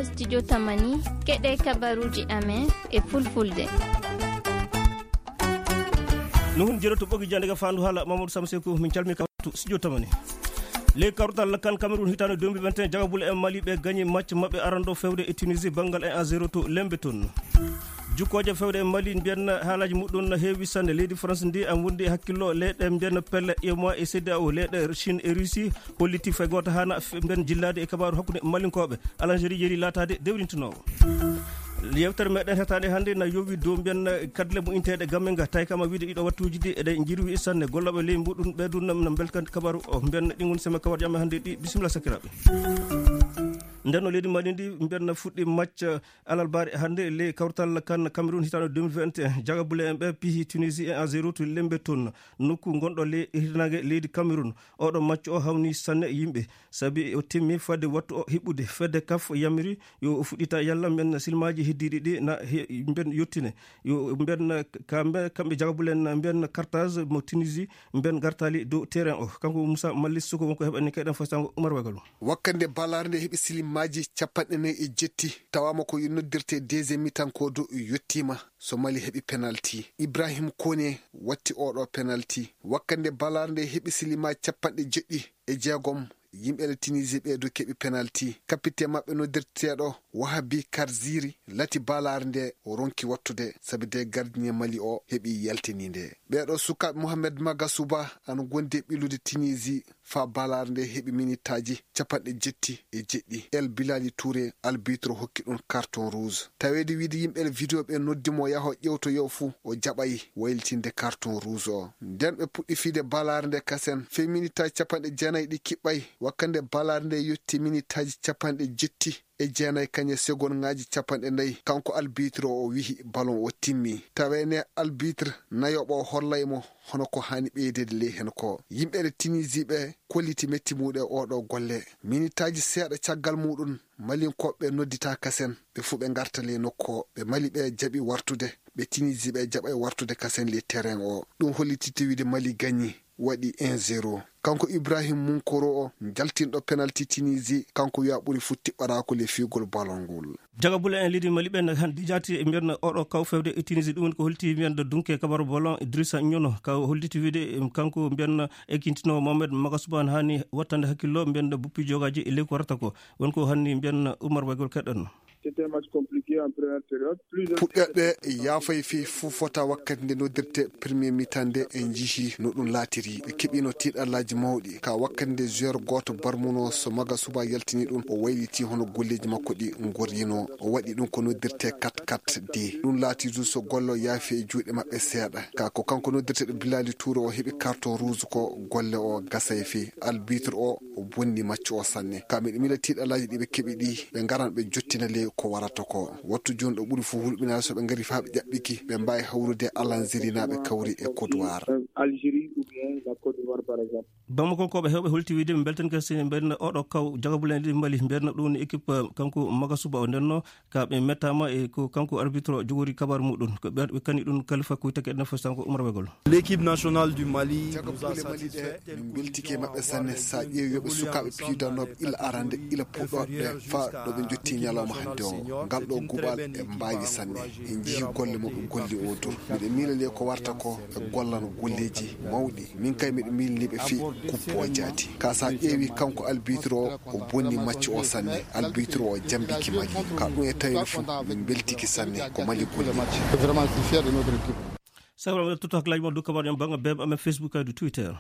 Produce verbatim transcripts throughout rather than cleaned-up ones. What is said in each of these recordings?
Studio Tamani, keɗe kabaruji amen e fulfulde. No hun jeroto ɓogi jande ga fandu hala Mamadou Samsekou, min calmi kawtu studio Tamani. Ley kawtal kan Cameroun hitande deux mille vingt et un, jagabule en Mali ɓe gañi match maɓɓe arando fewde e Tunisie banngal un à zéro to Lembe toon. Jukkooje fewde e Mali mbiyanna haalaji muɗum na heewi sanne. Leydi France ndi am wondi e hakkillo leyɗe mbiyanna pelle UEMOA e CEDEAO, leyɗe Chine e Russie holliti fay gooto hana f-, mbiyan jillaade e kabaaru hakkunde Malinkooɓe. Algérie yeeri laataade dewrintinoowo. Yewtere meɗen hetaande hannde na yowi dow mbiyan kadle mo inteeɗe Gamenga, tawi kama wiide ɗiɗo wattuuji ɗi eɗe njirwi sanne. Gollooɓe ley mbuɗum ɓeydun nam na mbelkandi kabaaru o. Mbiyan ɗi ngon sema kawarjam hannde ɗi. Bisimilla sakiraaɓe. Nden no leydi Mali ndi mbiyan na fuɗɗi macca alarba hannde ley kawtal kan Cameroun hitaande deux mille vingt et un. Jagabule en ɓe pihi Tunisie un à zéro to Lembe toon, nokku ngonɗo ley hirnaange leydi Cameroun. Oɗo macco o hawni sanne yimɓe, sabi o timmi fadde wattu o hiɓɓude. Fedde kaf yamiri yo o fuɗɗita yalla mben silmaji heddiɗi ɗi na he-, mben yottine. Yo mben kamɓe, kamɓe jagabule en mben kartage mo Tunisie mben gartali dow terrain o. Kanko Moussa Mallis Soko wonko heɓani kayɗen fastango Oumar Wagalo. Wakkande balaare nde heɓi silimaaji capanɗe nayi e jetti, tawaama ko noddirte deuxième mi-temps ko do yettiima so Mali heɓi penalti. Ibrahim Kone watti oɗo penalti. Wakkande balaare nde heɓi silimaaji capanɗe jeɗɗi e jeegom, yimɓe le Tunisie ɓe do keɓi penalti. Kapite maɓɓe noddirteeɗo Wahabi Karziri lati balaare nde o ronki wattude, sabi de gardien Mali o heɓi yaltininde. Ɓeeɗo sukaaɓe Mohamed Magasuba ana gondi e ɓillude Tunisie faa balaare nde heɓi minitaaji capanɗe jetti e jeɗɗi. El Bilali Touré, albitre, hokki ɗum carton rouge. Taweede wiide yimɓe le video ɓe noddi mo yaho ƴewtoyo fuu, o jaɓay waylitinde carton rouge o. Nden ɓe puɗɗi fiide balaare nde kasen. Fee minitaaji capanɗe jeenayi ɗi kiɓɓay, wakkande balaare nde yotti minitaaji capanɗe jetti e jeenayi kañe segonŋaaji capanɗe nayi, kanko albitre o, o wihi ballon o timmi. Taweene albitre nayoɓo o hollay mo hono ko haani ɓeydeede ley hen ko. Yimɓe le Tunisie ɓe kolliti metti muɗum e oɗo golle. Minitaaji seeɗa caggal muɗum, Malinkooɓe noddita kasen, ɓe fuu ɓe ngarta ley nokku o. Ɓe Mali ɓe jaɓi wartude, ɓe Tunisie ɓe jaɓay wartude kasen ley terrain o. Ɗum hollititte wiide Mali gañi, waɗi un zéro. Kanko Ibrahim Munkoro o, jaltinɗo penalti Tunisie, kanko wi'a ɓuri fuu tiɓɓaraako le fiyugol ballon ngol. Jagabule en leydi Mali ɓen hannde jaati e mbiyan oɗo kaw fewde e Tunisie, ɗum woni ko holti mbiyan dunke kabaru ballon Idrissa Nyono, ka holliti wiide, em, kanko mbiyan ekintino Mohamed Magasuba haani wattande hakkillo mbiyan buppi jogaji e ley ko warata ko. Won ko hanni mbiyan Oumar Wagol kaɗan. C'était un match compliqué en première période. Plus de Puɗɗeɗe yaafay fii fuu fota wakkati nde noddirte premier mi-temps nde en njihi no ɗum laatiri. Ɓe keɓino tiiɗallaaji mawɗi. Ka wakkati nde joueur gooto barmuno so Magasuba yaltini ɗum, o wayliti hono golleeji makko ɗi ngorrino. O waɗi ɗum ko noddirte quatre quatre deux. Ɗum laati du so golle o yaafi e juuɗe maɓɓe seeɗa. Ka ko kanko noddirteɗo Bilali Touré o heɓi carton rouge ko golle o gasay fii. Arbitre o o bonni maccu o sanne. Ka miɗo miila tiiɗalaaji ɗi ɓe keɓi ɗi, ɓe ngaran ɓe jottina ley ko warata ko. Wattu jooni ɗo ɓuri fof hulɓinaade so ɓe ngari faa ɓe ƴaɓɓiki, ɓe mbaawi hawrude e Alansirinaaɓe kawri e Côte d'Ivoire. Algérie ou bien la Côte d'Ivoire, par exemple. Bamako ko ɓe heewɓe holti wiide ɓe mbeltan kasi mbeɗen oɗo kaw jagabulen ɗi Mali, mbeɗen ɗum équipe, eh, kanko Magasuba o ndenno. Ka ɓe mettaama e ko kanko arbitre o jogori kabaru muɗum. Ko ɓe, ɓe kani ɗum Khalifa Koyta keɗen fof sanko Umar Wegol. L'équipe nationale du Mali nous a satisfait. Jagabuule Mali ɗe, min mbeltike maɓɓe sanne. Sa ƴeewi yoɓe sukaaɓe piidanooɓe ila arande, ila puɗɗooɓe ɓe, faa ɗo ɓe jotti ñalawma hannde o. Ngal ɗo guɓal ɓe mbaawi sanne. En njii golle mo ɓe golli o dur. Miɗo miilani ko warta ko ɓe gollano golleeji mawɗi. Min kay miɗo miilani ɓe fii kuppoojaati. Ka sa ƴeewi kanko albitre o, o bonni maccu o sanne. Albitre o jambiki Mali. Ka ɗum e tawde fof, min mbeltiki sanne. Ko Mali golli. Vraiment, je suis fier de notre équipe. Sawra mbiɗa totta hakkillaaji mon dow kabaru en bannga beb amen Facebook e Twitter.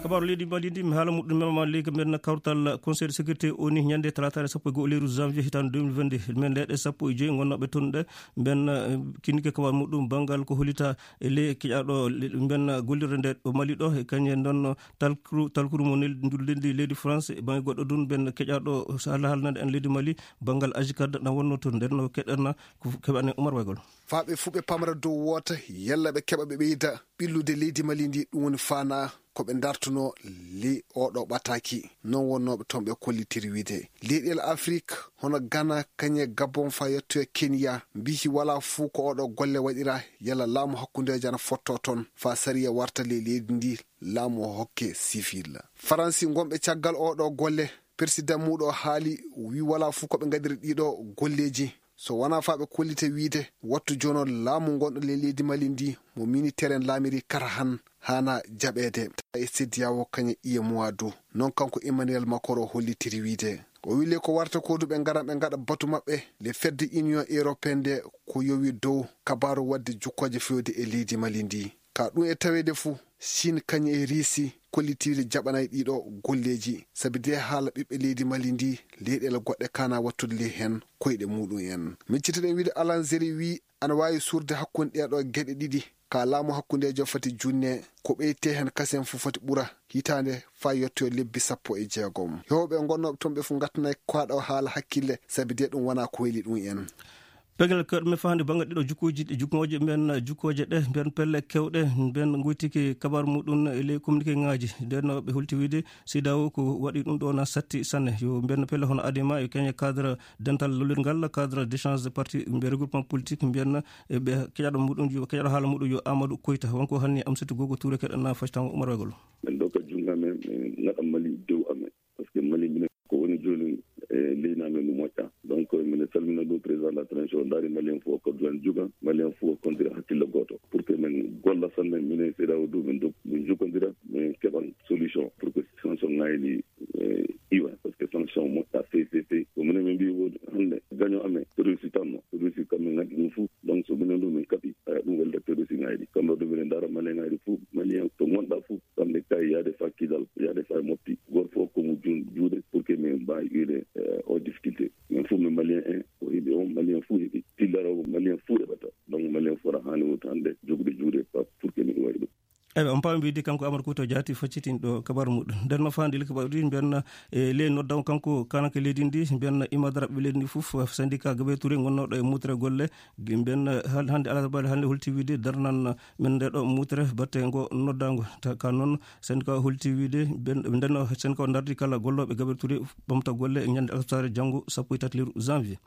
Kabaru leydi Mali ndi, mi haala muɗum mema ma leydi men kawtal Conseil de sécurité O N U ñande talaataare sappo e go'o lewru janvier hitaande deux mille vingt-deux. Men leyɗe sappo e joy ngonnooɓe toon ɗe, mben, eh, kinnike kabaru muɗum banngal ko hollita e ley keƴaaɗo le-, mben gollirde nde ɗo Mali ɗo, e kañum en ɗon talkuru, talkuru mo nel-, ndu leydi, leydi France, e bannge goɗɗo ɗum mben keƴaaɗo so Allah haalnande en leydi Mali, banngal Ajikad na wonno toon. Nden no keɗen ko keɓane Umar Waygol. Faa ɓe fuu ɓe pamra dow woota, yalla ɓe keɓa ɓe ɓeyda ɓillude leydi Mali ndi, ɗum woni faanaa ko ɓe ndartunoo ley oɗo ɓataaki. Non wonnooɓe toon ɓe kollitiri wiide. Leyɗeele Afrik, hono Ghana, kañe Gabon, faa yettoya Kenya, mbiyi walaa fuu ko oɗo golle waɗira, yalla laamu hakkundeejo ana fottoo toon, faa sariya warta ley leydi ndi, laamu o hokke sivil. Faransi ngonɓe caggal oɗo golle, Persidan muuɗo haali, wi walaa fuu ko ɓe ngaɗiri ɗiɗo golleeji. So wonaa faa ɓe kollite wiyde, wattu jooni o laamu ngonɗo ley leydi Mali ndi, mo miniteer en laamiri kara han, haana jaɓeede. E C D A O kañe iye muwa du. Noon kanko Emmanuel Macron hollitiri wiyde. O wili ko warta ko du ɓe ngaran ɓe ngaɗa batu maɓɓe, le fedde Union Européenne nde ko yowi dow kabaaru waɗde jukkooje fewde e leydi Mali ndi. Ka ɗum e taweede fuu, Siin kañum e Riisi kollitiiɗe jaɓanaay ɗiɗo golleeji, sabi de haala ɓiɓɓe leydi Mali ndi, leyɗeele goɗɗe kaana wattude ley heen koyɗe muuɗum en. Miccitoɗen wiide Alanzeri wii ana waawi suurde hakkunde ɗee ɗoo geɗe ɗiɗi, ka laamu hakkundeejo fati junne, ko ɓeytee heen kasen fof foti ɓura hitaande faa yettoyo lebbi sappo e jeegom. Yewɓe ngonnooɓe toon ɓe fof ngattanaay kaaɗo haala hakkille, sabi de ɗum wonaa ko weli ɗum en. Pegel kewɗe men fahande bannge ɗiɗo jukkuuji, jukkooje men, jukkooje ɗe, mbiyen pelle kewɗe, mbiyen ngoytiki kabaru muɗum e ley communiqué ŋaaji. Nden no ɓe holti wiide C D A O ko waɗi ɗum ɗo na satti sanne. Yo mbiyen pelle hono Adema e keñe cadre dental lollirgal, cadre d'échange de parti, mbiyen regroupement politique, mbiyen e ɓe keƴaɗo muɗum yo, keƴaɗo haala muɗum yo Amadou Koyta. Wonko hanni Amsatou Gogo Touré keɗen na facitango Oumar Wegol. Min ɗo ka junngo amen, min ngaɗa Mali dow amen. Parce que Mali minen ko woni jooni e leydi amen no moƴƴa. Donc minen salmina ɗum président de la transition, o ndaari Malien fof o koddu en juga, Malien fof o kondira hakkille gooto. Pour que min golla sanne, minen C D A O du min dog-, min jokondira, min keɓan solution pour que sanction ŋayli, eh, iwa. Parce que sanction moƴƴa feewi, feewi, feewi. Ko minen min mbii woodi hannde gagnant amen, terroriste tanno. Terroriste kam min nganndi ɗum fof. Donc so minen du min kaɓi, eh, ɗum welde terroriste ŋayli. Kamɓe du minen ndaara Malien ŋayli fof, Malien to ngonɗa fof, kamɓe kay yaade faa Kidal, yaade faa Mopti. Gooto fof ko mo jun-, juuɗe pour que min mbaawi iwde, eh, o difficulté. Min fof min Malien en, o heɓi on, Malien fof heɓi. Tillaro Malien fof heɓata. Donc Malien fof aɗa haani wonde hannde jogude juuɗe pa-, pour que min waɗi ɗum. Eywa, on paami wiide kanko Amadou Koyta Diaty faccitinɗo kabaru muɗum. Nden no faandi le kabaru ɗi mbiyen, e ley noddago kanko kanake leydi ndi, mbiyen imadara ɓe leydi ndi fof, syndicat Gabriel Touré gonnooɗo e mutre golle, mbiyen hal-, hannde alarba hannde holti wiide darnan men nde ɗo mutre batte ngo noddago. Ta-, ka noon syndicat holti wiide ben-, nden no syndicat o dardi kala gollooɓe Gabriel Touré ɓamta golle e ñande alarba janngo sappo e tati lewru janvier.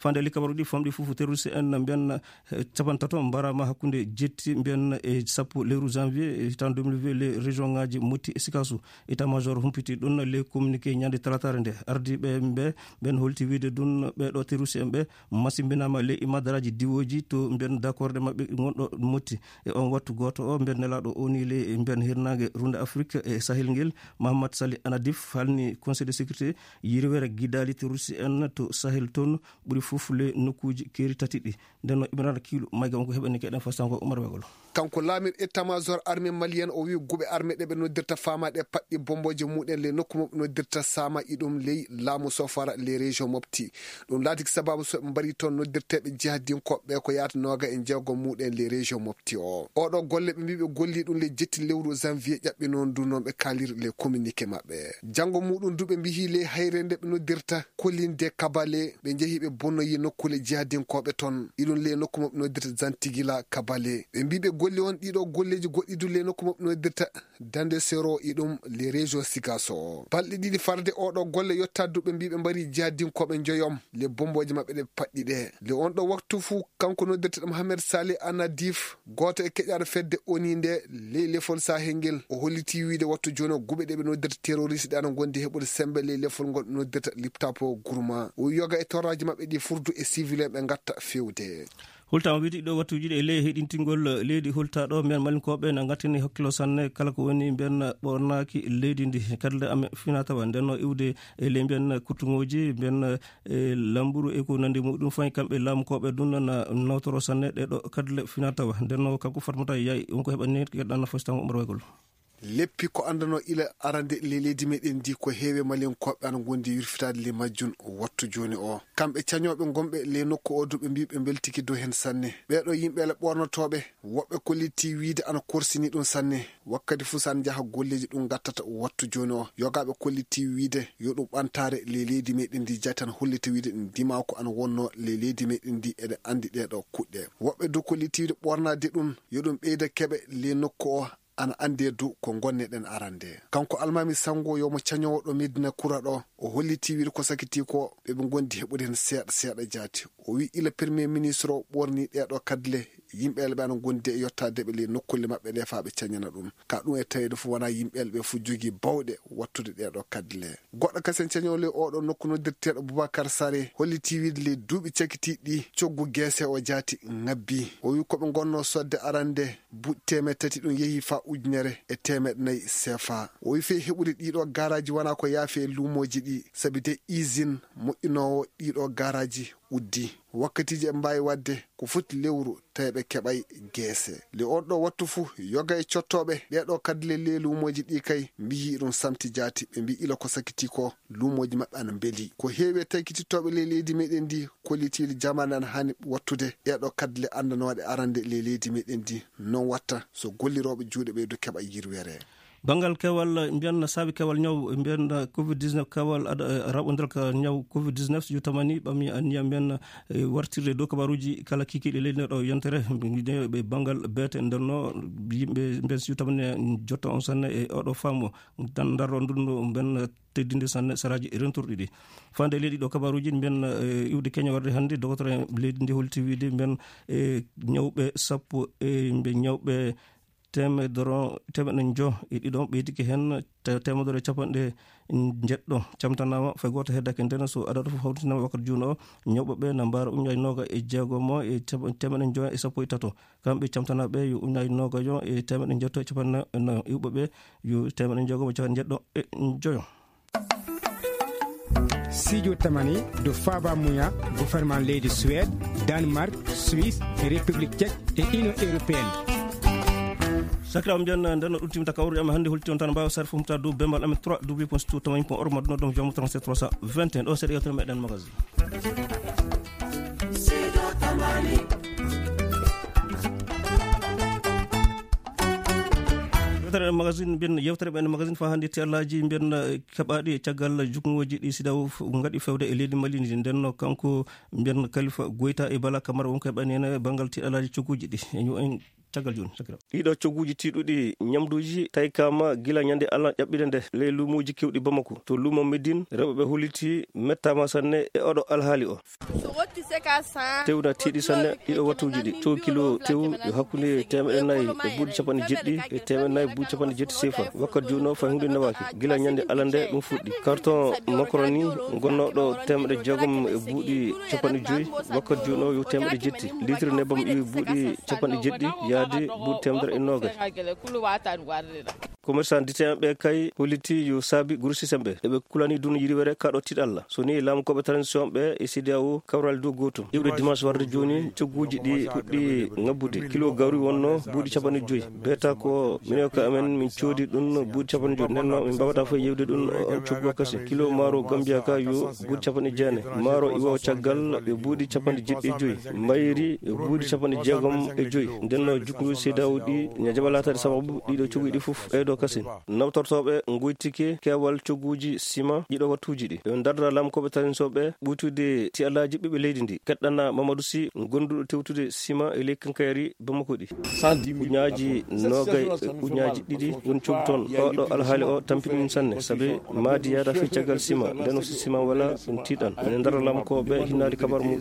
Fande likabaruɗi famɗi fof terroriste en mbiyan, eh, capantato mbarama hakkunde jetti mbiyan e sappo lewru janvier, eh, hitan deux mille vingt, les région ngaji Mopti e Sikasso. État major humpiti ɗum les communiqué ñande talatare nde. Ardiɓe ɓe, ɓen holti wiide ɗum ɓeɗo terroriste en ɓe masimbinama les imadaraji diwoji to mbiyan d'accord ɗe maɓɓe gonɗo Mopti. E on wattu goto o mbiyan nelaɗo O N U le mbiyan hirnage runde Afrique e Sahel ngel, Mahamat Sali Anadif halni Conseil de sécurité yirwere gidali terroriste en to Sahel toon ɓuri fof le nokkuuji keeri tati ɗi. Nden no Ibrahima Kiilu, mayga wonko heɓani keɗen fastango Umar Wegol. Kanko laamir état major armée malienne o wi guɓe armée ɗe ɓe noddirta fama ɗe paɗɗi bomboje muɗen le nokku mo ɓe noddirta sama iɗum ley laamu sofara le région Mopti. Ɗum laatiki sababu so ɓe mbari toon noddirteɓe jihadinkoɓe ko yaata noga e jeego muɗen le région Mopti o. Oɗo golle ɓe mbi ɓe golli ɗum le jetti lewru janvier ƴaɓɓi noon du noon ɓe kaalir le communiqué maɓɓe. Janngo muɗum du ɓe mbihi le hayre nde ɓe noddirta Kolinde Kabale, ɓe njehi ɓe bonnoyi nokkule jihadinkoɓe toon. Iɗum le nokku mo ɓe noddirta Zantigila Kabale. Ɓe mbi ɓe golli on ɗiɗo golleji goɗɗi du le nokku mo ɓe noddirta Dande Sero iɗum le région Sigaso. Balɗe ɗiɗi farde oɗo golle yotta du ɓe mbi ɓe mbari jihadinkoɓe njoyom le bomboje maɓɓe ɗe paɗɗi ɗe. Le on ɗo waktu fu kanko noddirteɗo Mohamed Salih Anadif, gooto e keƴaaɗo fedde O N U nde ley lefol Sahel ngel, o holliti wiide wattu jooni o guɓe ɗe ɓe noddirta terroriste ɗe ana ngondi heɓude sembe ley lefol ngol ɓe noddirta Liptapo Gurma. O yoga e torraji maɓɓe ɗi furdu e civil en ɓe ngatta fewde. Hultama wiide ɗo wattuji ɗi e ley heɗintingol leydi hultaɗo men malinkoɓe na ngattini hakkilo sanne kala ko woni mbiyen ɓornaki leydi ndi. Kadle ame fina tawa ndenno iwde e ley mbiyen kuttuŋoji mbiyen e lamburu e ko nandi muɗum fayi kamɓe laamukoɓe ɗum na nawtoro sanne ɗe ɗo kadle fina tawa. Ndenno kanko Fatmata Yaay wonko heɓani keɗɗan fasitango Umar Waygol. Leppi ko anndano ila arande le leydi meɗen ndi ko heewe malinkoɓe ana ngondi yurfitaade le majjum wattu jooni o. Kamɓe cañooɓe gonɓe le nokku o du ɓe mbi ɓe mbeltiki dow hen sanne. Ɓeeɗo yimɓe le ɓornotooɓe woɓɓe kollitii wiide ana korsini ɗum sanne. Wakkati fuu so ana njaha golleeji ɗum ngattata wattu jooni o. Yogaaɓe kollitii wiide yo ɗum ɓantaare le leydi meɗen ndi jatan hollita wiide ɗum dimaako ana wonno le leydi meɗen ndi eɗe anndi ɗee ɗo kuɗɗe. Woɓɓe du kollitii wiide ɓornaade ɗum yo ɗum ɓeyda keɓe le nokku o. Ana anndee du ko ngonneɗen arande. Kanko Almaami Sanngo yo mo cañoowo ɗo Medina Kura ɗo, o hollitii wiide ko sakitii ko ɓe ɓe ngondi heɓude heen seeɗa seeɗa jaati. O wii ila Premier Ministre o ɓoornii ɗee ɗo kadle yimɓeele ɓe ana ngondi e yottaade ɓe ley nokkulle maɓɓe ɗe faa ɓe cañana ɗum. Ka ɗum e taweede fof wonaa yimɓeele ɓe fof jogii bawɗe wattude ɗee ɗoo kaddule. Goɗɗo kasen cañoowo ley oo ɗoo nokku noddirteeɗo Boubacar Sarr hollitii wiyde ley duuɓi cakitiiɗi ɗi coggu Geese o jaati ŋabbii. O wiyi ko ɓe ngonnoo sodde arande buuɗi teemeɗɗe tati ɗum yehii faa ujunere e teemeɗɗe nayi seefa. O wiyi fii heɓude ɗii ɗoo gaaraaji wonaa ko yaafi e luumooji ɗi sabi de usine moƴƴinoowo ɗii ɗoo gaaraaji uddii. Wakkatiiji eɓe mbaawi waɗde ko foti lewru tawi ɓe keɓaay Geese. Ley oon ɗoo wattu fof yoga e cottooɓe ɗee ɗoo kaddule ley luumooji ɗi kay mbiyi ɗum samti jaati. Ɓe mbiyi ila ko sakitii ko luumooji maɓɓe ana mbelii. Ko heewi e taykitittooɓe ley leydi meɗen ndi kollitiiɗo jamaane ana haani wattude ɗee ɗoo kaddule anndanooɗe arande ley leydi meɗen ndi. Noon watta so gollirooɓe juuɗe ɓeydo keɓa yirwere. Banngal kewal, mbiyen saabi kewal ñaw, mbiyen covid dix-neuf, kewal aɗa, eh, raɓondiral ka ñaw covid dix-neuf, so tamani ɓami anniya mbiyen, eh, wartirde dow kabaruuji kala kikiiɗe leydi ndi ɗo yontere, mbiyen ɓe banngal beete ndenno yimɓe mbiyen si tamani jotto on sanne e oɗo faamu tan darro ndunno mbiyen teddinde sanne saraaji rentorɗi ɗi. Fande leydi ɗo kabaruuji mbiyen, eh, iwde Kenya warde hannde, dogotoro en leydi ndi holti wiide mbiyen, eh, ñawɓe sappo e mbiyen ñawɓe teemedere, teemeɗɗe njo e ɗiɗo ɓeydike heen te-, teemedere e capanɗe njeɗɗo camtanaama, fay gooto heddake. Ndeen so adadu fof hawtinaama wakkati juuno o, ñawɓe ɓe na mbaara ujunnaaji nooga e jeegomo e teem-, teemeɗɗe njo e sappo e tato. Kamɓe camtanaaɓe yo ujunnaaji noogajo e teemeɗɗe njeɗɗo e capanɗe nayo, iwɓe ɓe yo teemeɗɗe jeegomo e capanɗe njeɗɗo e njoyo. Sijo tamani do faaba muya gouvernement leydi Suède, Danemark, Suisse, République Tchèque e Union Européenne. Sakiraaɓe, mbiyen nden no ɗum timta kawruɗi amen hannde, holti on tan mbaawa sar fomta dow bembal amen trois w point situ tamani point org, ma ɗum ɗon jomo trente-sept trois cent vingt et un. Ɗo seeɗa yewtere meɗen magazine. Yewtere magazine, mbiyen yewtere ɓen magazine fa hannde, tiyallaaji mbiyen, eh, keɓaaɗi e caggal jukngooji ɗi sidaw f-, ngaɗi fewde e leydi Mali ndi. Nden no kanko mbiyen Kalifa Goyta e Bala Kamara wonko heɓani en banngal tiɗalaaji cogguuji ɗi. E ñu en caggal jooni, sakira. Ɗiɗo cogguuji tiiɗuɗi ñamduuji taykaama gila ñande Allah ƴaɓɓide nde ley luumuuji kewɗi Bamako. To luumo Médine, rewɓe ɓe holliti mettaama sanne e oɗo alhaali o. Tew na tiiɗi sanne ɗiɗo wattuuji ɗi. Tew kilo tew yo hakkunde teemeɗɗe nayi e buuɗi capanɗe jeɗɗi e teemeɗɗe nayi buuɗi capanɗe jeɗɗi sefa. Wakkati jooni o fay huunde newaaki. Gila ñande Allah nde ɗum fuɗɗi. Carton macaroni gonnooɗo teemeɗɗe jeegom e buuɗi capanɗe joyi, wakkati jooni o yo teemeɗɗe jetti. Litre nebam iwi buuɗi capanɗe jeɗɗi yaadi buuɗi teemedere e noogay. Commerçant dite en ɓe kay holliti yo saabi grossiste en ɓe. Eɓe kulani dun yiriwere kaɗo tiɗalla. So ni laamukooɓe transition ɓe e C D A O kawral dow gootum. Iwde dimanche warde jooni, cogguuji ɗi puɗɗi ŋabbude. Kilo gawri wonno buuɗi capanɗe joyi. Beeta ko minen ko amen min coodi ɗum buuɗi capanɗe joyi. Nden no min mbawata fof yewde ɗum on coggu o kasi. Kilo maaro Gambia ka yo buuɗi capanɗe jeenayi. Maaro iwo caggal e buuɗi capanɗe jeɗɗi e joyi. Mbayri e buuɗi capanɗe jeegom e joyi. Nden no jukkundu C D A O ɗi ña jaɓa laataade sababu ɗiɗo cogguuji ɗi fof ɓeydo kasi. Nawtortooɓe ngoytike keewal cogguuji sima ɗiɗo wattuuji ɗi. Ɓe ndardira laamukooɓe tarinsoɓe ɓuytude tiyalaaji ɓiɓɓe leydi ndi. Keɗɗana Mamadou Sy, gonduɗo tewtude sima e ley kankayari Bamako ɗi. Ujunnaaji noogay e ujunnaaji ɗiɗi woni coggu toon. Oɗo alhaali o tampini ɗum sanne, sabi maadi yaada fii caggal sima, nden o si sima wala ɗum tiiɗan. Ene ndara laamukooɓe hinnaade kabar muɗum.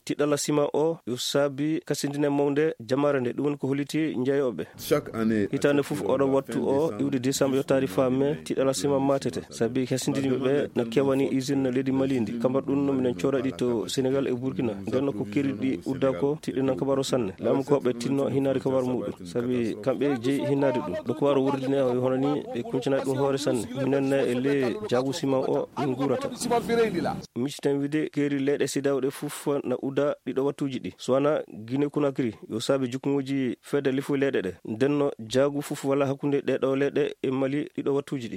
Tiɗalla sima o yo saabi kasindine mawnde jamaare nde, ɗum woni ko holliti njeeyooɓe. Hitaande fof oɗo wattu o iwde décembre yottaade faa mai, tiɗalla sima maatete. Sabi kasindiniiɓe ɓe no kewani usine leydi Mali ndi. Kambar ɗum no minen cooda ɗi to Sénégal e Burkina. Nden no ko keri ɗi udda ko tiɗɗinan kabar o sanne. Laamukooɓe tinno hinnaade kabar muɗum. Sabi kamɓe jeyi hinnaade ɗum. Ɗo ko waro wurdine o hono ni ɓe kuncana ɗum hoore sanne. Minen na e le jaagu sima o min nguurata. Miciten wiide keeri leyɗe C D A O ɗe fof na udda ɗiɗo wattuuji ɗi. So wana Guinée Conakry, yo saabi jukkuŋuuji fedde lifu leyɗe ɗe. Nden no jaagu fof wala hakkunde ɗee ɗoo leyɗe e Mali ɗiɗo wattuuji ɗi.